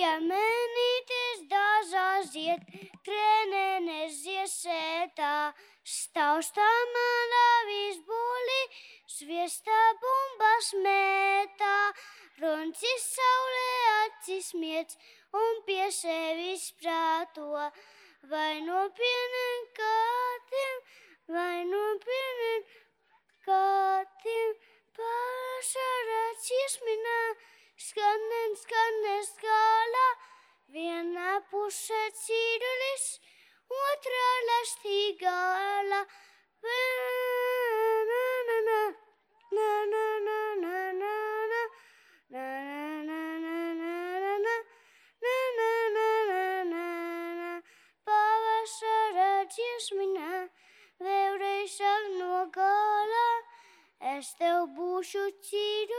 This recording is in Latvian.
Piemenītes dažās zied, krēnenes ziesētā, staustā manā visbūlī, sviestā bumbas mētā, runcis saulē acis miec un pie sevis prāto, vai no pienen kātiem, vai no pienen kātiem, pašarā ciesminā, skanen skālā, vienā pusē cīrulis, otrā lastīgāla. Pavasara dziesminā, vēlreiz sāk no gala, es tev būšu cīrulis.